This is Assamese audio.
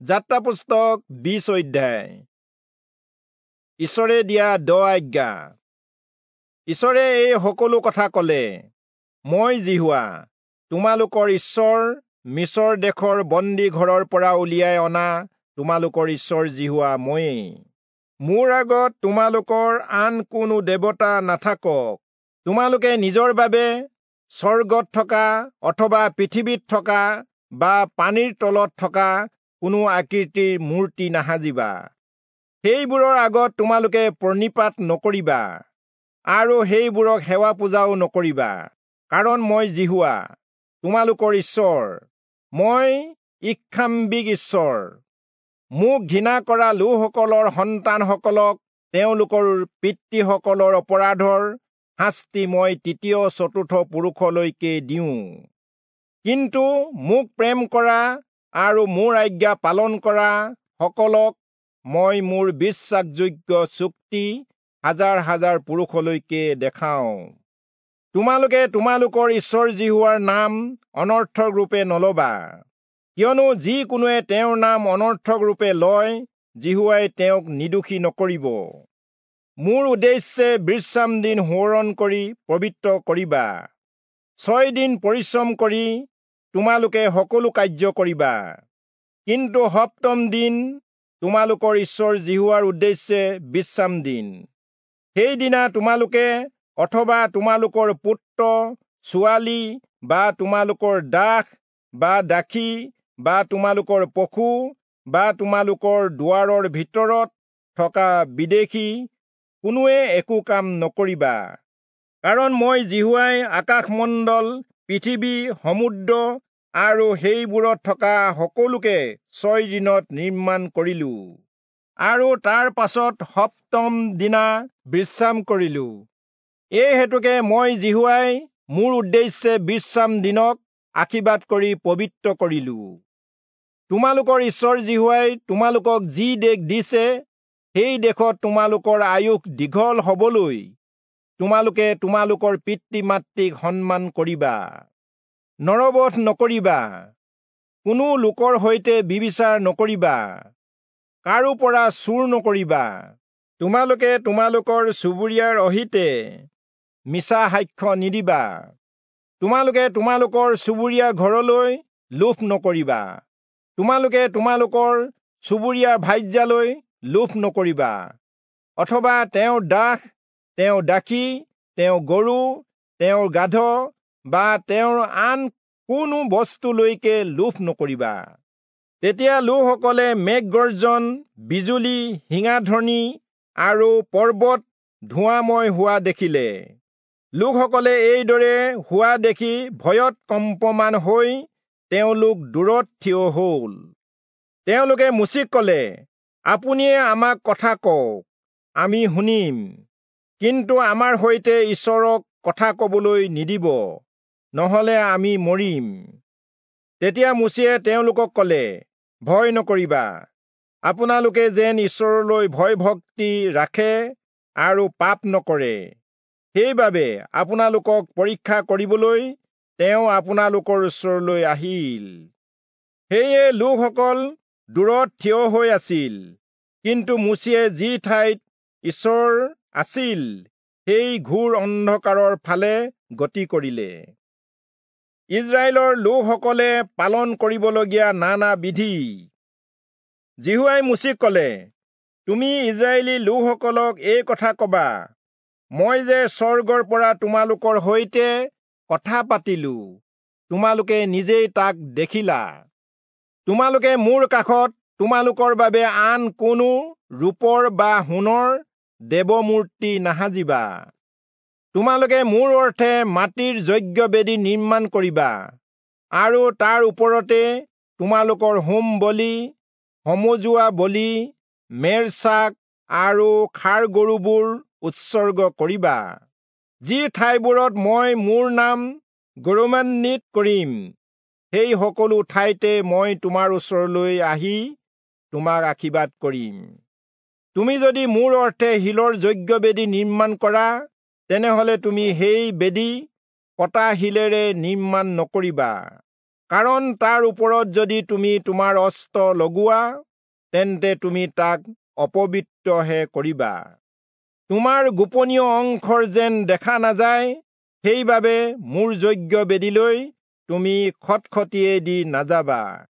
যাত্ৰা পুস্তক 20 অধ্যায়। ঈশ্বৰে দিয়া 10 আজ্ঞা। ঈশ্বৰে এই সকলো কথা কলে, মই যিহোৱা তোমালোকৰ ঈশ্বৰ, মিছৰ দেশৰ বন্দী ঘৰৰ পৰা উলিয়াই অনা তোমালোকৰ ঈশ্বৰ যিহোৱা ময়েই। মোৰ আগত তোমালোকৰ আন কোনো দেৱতা নাথাকক। তোমালোকে নিজৰ বাবে স্বৰ্গত থকা অথবা পৃথিৱীত থকা বা পানীৰ তলত থকা কোনো আকৃতিৰ মূৰ্তি নাসাজিবা। সেইবোৰৰ আগত তোমালোকে প্ৰণিপাত নকৰিবা আৰু সেইবোৰক সেৱা পূজাও নকৰিবা, কাৰণ মই যিহোৱা তোমালোকৰ ঈশ্বৰ, মই ঈৰ্ষান্বিত ঈশ্বৰ। মোক ঘৃণা কৰা লোকসকলৰ সন্তানসকলক তেওঁলোকৰ পিতৃসকলৰ অপৰাধৰ শাস্তি মই তৃতীয় চতুৰ্থ পুৰুষলৈকে দিওঁ। কিন্তু মোক প্ৰেম কৰা আৰু মোৰ আজ্ঞা পালন কৰা সকলক মই মোৰ বিশ্বাসযোগ্য চুক্তি হাজাৰ হাজাৰ পুৰুষলৈকে দেখাওঁ। তোমালোকে তোমালোকৰ ঈশ্বৰ যিহোৱাৰ নাম অনৰ্থক ৰূপে নলবা, কিয়নো যিকোনোৱে তেওঁৰ নাম অনৰ্থক ৰূপে লয়, যিহোৱাই তেওঁক নিৰ্দোষী নকৰিব। মোৰ উদ্দেশ্যে বিশ্ৰাম দিন সোঁৱৰণ কৰি পবিত্ৰ কৰিবা। 6 দিন পৰিশ্ৰম কৰি তোমালোকে সকলো কাৰ্য কৰিবা, কিন্তু সপ্তম দিন তোমালোকৰ ঈশ্বৰ যিহোৱাৰ উদ্দেশ্যে বিশ্ৰাম দিন। সেইদিনা তোমালোকে অথবা তোমালোকৰ পুত্ৰ ছোৱালী বা তোমালোকৰ দাস বা দাসী বা তোমালোকৰ পশু বা তোমালোকৰ দুৱাৰৰ ভিতৰত থকা বিদেশী কোনোৱে একো কাম নকৰিবা, কাৰণ মই যিহোৱাই আকাশমণ্ডল, পৃথিৱী, সমুদ্ৰ আৰু সেইবোৰত থকা সকলোকে 6 দিনত নিৰ্মাণ কৰিলো আৰু তাৰ পাছত সপ্তম দিনা বিশ্ৰাম কৰিলো। এই হেতুকে মই যিহোৱাই মোৰ উদ্দেশ্যে বিশ্ৰাম দিনক আশীৰ্বাদ কৰি পবিত্ৰ কৰিলো। তোমালোকৰ ঈশ্বৰ যিহোৱাই তোমালোকক যি দেশ দিছে, সেই দেশত তোমালোকৰ আয়ুস দীঘল হবলৈ তোমালোকে তোমালোকৰ পিতৃ মাতৃক সন্মান কৰিবা। নৰবধ নকৰিবা, কোনো লোকৰ সৈতে ব্যভিচাৰ নকৰিবা, কাৰো পৰা চুৰ নকৰিবা। তোমালোকে তোমালোকৰ চুবুৰীয়াৰ অহিতে মিছা সাক্ষ্য নিদিবা। তোমালোকে তোমালোকৰ চুবুৰীয়াৰ ঘৰলৈ লোভ নকৰিবা। তোমালোকে তোমালোকৰ চুবুৰীয়াৰ ভাৰ্যালৈ লোভ নকৰিবা, অথবা তেওঁৰ দাস, তেওঁৰ দাসী, তেওঁৰ গৰু, তেওঁৰ গাধ বা তেওঁৰ আন কোনো বস্তুলৈকে লোভ নকৰিবা। তেতিয়া লোকসকলে মেঘগৰ্জন, বিজুলী, শিঙাধ্বনি আৰু পৰ্বত ধোঁৱাময় হোৱা দেখিলে। লোকসকলে এইদৰে হোৱা দেখি ভয়ত কম্পমান হৈ তেওঁলোক দূৰত থিয় হল। তেওঁলোকে মোচিক কলে, আপুনিয়ে আমাক কথা কওক, আমি শুনিম, কিন্তু আমাৰ সৈতে ঈশ্বৰক কথা কবলৈ নিদিব, নহলে আমি মৰিম। তেতিয়া মোচিয়ে তেওঁলোকক কলে, ভয় নকৰিবা, আপোনালোকে যেন ঈশ্বৰলৈ ভয় ভক্তি ৰাখে আৰু পাপ নকৰে, সেইবাবে আপোনালোকক পৰীক্ষা কৰিবলৈ তেওঁ আপোনালোকৰ ওচৰলৈ আহিল। সেয়ে লোকসকল দূৰত থিয় হৈ আছিল, কিন্তু মোচিয়ে যি ঠাইত ঈশ্বৰ আছিল সেই ঘোৰ অন্ধকাৰৰ ফালে গতি কৰিলে। ইস্ৰায়েলৰ লোকসকলে পালন কৰিবলগীয়া নানা বিধি। যিহোৱাই মোচিক কলে, তুমি ইস্ৰায়েলী লোকসকলক এই কথা কবা, মই যে স্বৰ্গৰ পৰা তোমালোকৰ সৈতে কথা পাতিলো, তোমালোকে নিজেই তাক দেখিলা। তোমালোকে মোৰ কাষত তোমালোকৰ বাবে আন কোনো ৰূপৰ বা সোণৰ দেৱমূৰ্তি নাসাজিবা। তোমালোকে মোৰ অৰ্থে মাটিৰ যজ্ঞবেদী নিৰ্মাণ কৰিবা আৰু তাৰ ওপৰতে তোমালোকৰ হোম বলি, সমজুৱা বলি, মেৰ ছাগ আৰু ষাঁড় গৰুবোৰ উৎসৰ্গ কৰিবা। যি ঠাইবোৰত মই মোৰ নাম গৌৰৱান্বিত কৰিম, সেই সকলো ঠাইতে মই তোমাৰ ওচৰলৈ আহি তোমাক আশীৰ্বাদ কৰিম। তুমি যদি মোৰ অৰ্থে শিলৰ যজ্ঞবেদী নিৰ্মাণ কৰা, তেনেহলে তুমি সেই বেদী কটা শিলেৰে নিৰ্মাণ নকৰিবা, কাৰণ তাৰ ওপৰত যদি তুমি তোমাৰ অস্ত্ৰ লগোৱা, তেন্তে তুমি তাক অপবিত্ৰহে কৰিবা। তোমাৰ গোপনীয় অংশৰ যেন দেখা নাযায়, সেইবাবে মোৰ যজ্ঞ বেদীলৈ তুমি খটখটিয়েদি নাযাবা।